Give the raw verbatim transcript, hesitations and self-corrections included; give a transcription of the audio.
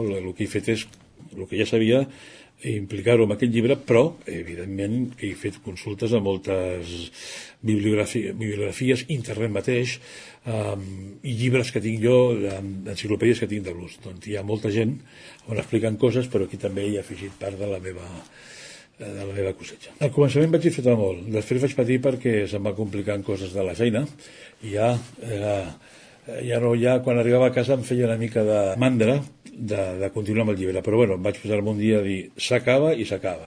no? El que he fet és, el que ja sabia, implicar-ho en aquest llibre, però, evidentment, he fet consultes a moltes bibliografies, bibliografies internet mateix, um, i llibres que tinc jo, enciclopèdies que tinc de l'ús. Doncs hi ha molta gent on expliquen coses, però aquí també hi ha afegit part de la meva de la meva cosetxa. Al començament vaig disfrutar molt, després vaig patir perquè se'm va complicant coses de la feina, i ja, eh, ja no, ja quan arribava a casa em feia una mica de mandra de, de continuar amb el llibre, però bueno, em vaig posar un dia a dir s'acaba i s'acaba.